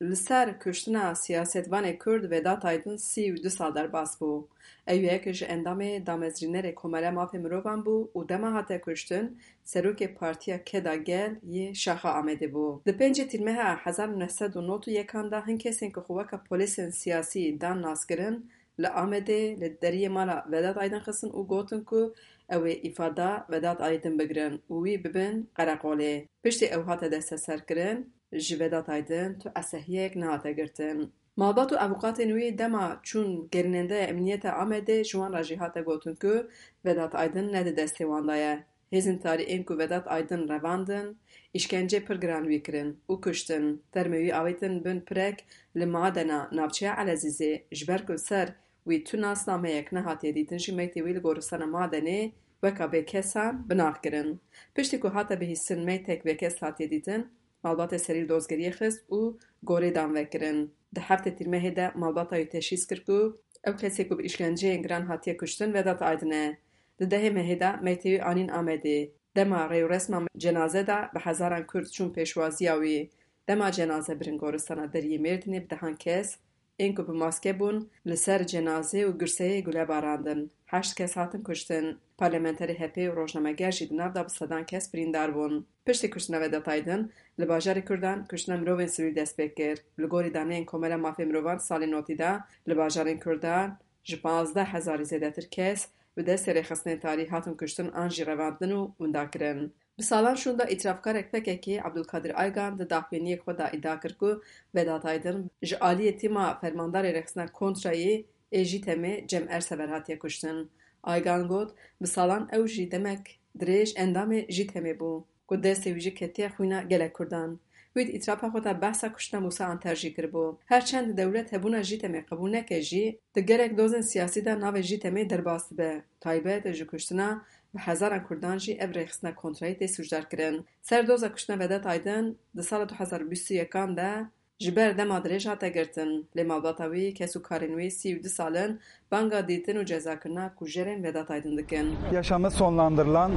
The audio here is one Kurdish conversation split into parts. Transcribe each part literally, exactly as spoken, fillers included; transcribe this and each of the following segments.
Li ser kuştina siyasetvanê Kurd Vedat Aydin sî û du sal derbas bû. Ew yek ji endamê damezrînerê Komela Mafê Mirovan bû û dema hate kuştin, serokê Partiya Keda Gel yê Şaxa Amedê bû. Di pêncê Tîrmeha hezar û neh sed û nod û yekan de hin kesên ku xwe weke polêsên siyasî dan naskirin, li Amedê li deriyê mala Vedat Aydin xistin û gotin ku ew ê îfada Vedat Aydin bigirin û wî bibin qereqolê. Piştî ew hate desteserkirin, ji Vedat Aydin tu esehiyek nehate girtin. Malbat û avûkatên wî dema çûn gerînendeya emniyeta Amedê ji wan re jî hate gotin ku Vedat Aydin ne di destê wan de ye. Hêzên tarî ên ku Vedat Aydin revandin, îşkence pir giran wî kirin û kuştin. Termê wî avêtin bin pirek li madena navçeya Elezîzê, ji ber ku li ser wî tu nasnameyek nehatiye dîtin jî meytê wî li goristana madenê weka bêkesan binax kirin. Piştî ku hate bihîstin meytek bêkes hatiye dîtin, malbatê serî li dozgeriyê xist û gorê dan vekirin. Di heftê Tîrmehê de malbata wî teşhîs kir ku ew kesê ku bi îşkenceyên giran hatiye kuştin Vedat Aydin e. Di dehê mehê de meytê wî anîn Amedê. Dema rêwresma cenaze de bi hezaran Kurd çûn pêşwaziya wî. Dema cenaze birin goristana deriyê Mêrdînê bi dehan kes ên ku bi maske bûn li ser cenazê û girseyê gule barandin. Heşt kes hatin kuştin. Parlamenterê H P ê û rojnameger jî di nav de bi sedan kes birîndar bûn. Piştî kuştina Vedat Aydin, li bajarê Kurdan kuştina mirovên sivîl dest pê kir. Li gorî daneyên Komela Mafê Mirovan salê notî de, li bajarên Kurdan ji pazdeh hezarî zêdetir kes bi destê rêxistinên tarî hatin kuştin an jî revandin û winda kirin. Bi salan şûnda îtirafkarek P K K, Abdulkadir Aygan, di daxuyaniyek xwe de îdia kir ku Vedat Aydin ji aliyê tîma fermandarê rêxistina kontrayî ê JÎTEMê Cem Ersever hatiye kuştin. Aygan got, bi salan ew jî demek dirêj endamê JÎTEMê bû, ku destê wî jî ketiye xwîna gelek Kurdan. Wî di îtirafa xwe de behsa kuştina Mûsa Anter jî kiribû. Her çend dewlet hebûna JÎTEMê qebûl neke jî, di gelek dozên siyasî de navê JÎTEMê derbas dibe. Taybet ji kuştina bi hezaran Kurdan jî ev rêxistina kontrayî tê sûcdar kirin. Ser doza kuştina Vedat Aydin di sala du hezar bîst û yekan de ji ber dema dirêj hate girtin, lê malbata wî, kes û karên wî sî û du sal in banga dîtin û cezakirina kujerên Vedat Aydin dikin. Yaşamı sonlandırılan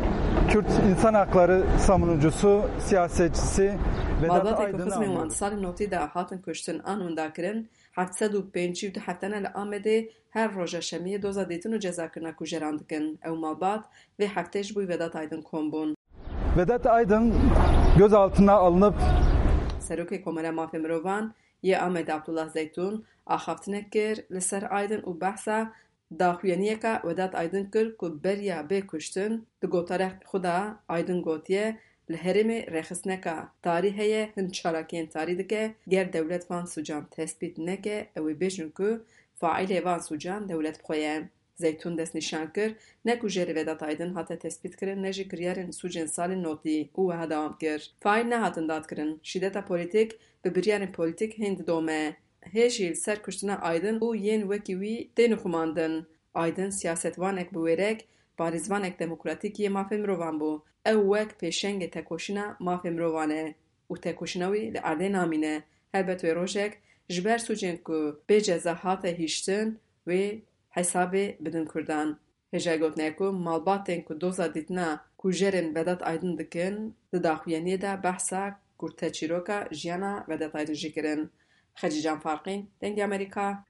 Kürt insan hakları savunucusu, siyasetçisi Vedat Malbatê ku Aydın xizmên wan andı. Di salên notî de hatin kuştin an winda kirin, heft sed û pêncî û du heftene li Amedê her roja şemiyê doza dîtin û cezakirina kujeran dikin. Ew malbat vê heftê ji bo Vedat Aydin kom bûn. Vedat Aydın gözaltına alınıp Serokê Komela Mafê Mirovan yê Amedê Abdullah Zeytun axaftinek kir li ser Aydin û behsa daxuyaniyeka Vedat Aydin kir ku beriya bê kuştin. Di gotarek xwe de Aydin gotiye, li herêmê rêxistineka tarî heye, hin çalakiyên tarî dike, ger dewlet van sûcan tespît neke, ew ê bêjin ku faîlê van sûcan dewlet bi xwe ye. Zeytun destnîşan kir, ne kujerê Vedat Aydin hate tespîtkirin, ne jî kiryarên sûcên salên notî û wiha dewam kir, faîl nehatin dadkirin. Şîdeta polîtîk bi biryarên polîtîk hên didome. Hê jî li ser kuştina Aydin û yên wekî wî tên xumandin. Aydin siyasetvanek bi wêrek, parêzvanek demokratîk yê mafê mirovan bû. Ew wek pêşengê tekoşîna mafê mirovan e û tekoşîna wî li erdê namîne. Helbet wê rojek ji ber sûcên ku bê ceza hate hiştin, wê hesabê bidin Kurdan. Hêjayî gotinê ye ku malbatên ku doza dîtina kujerên Vedat Aydin dikin, di daxuyaniyê de behsa kurteçîroka jiyana Vedat Aydin jî kirin. Xecîcan Farqîn, Dengê Amerîka,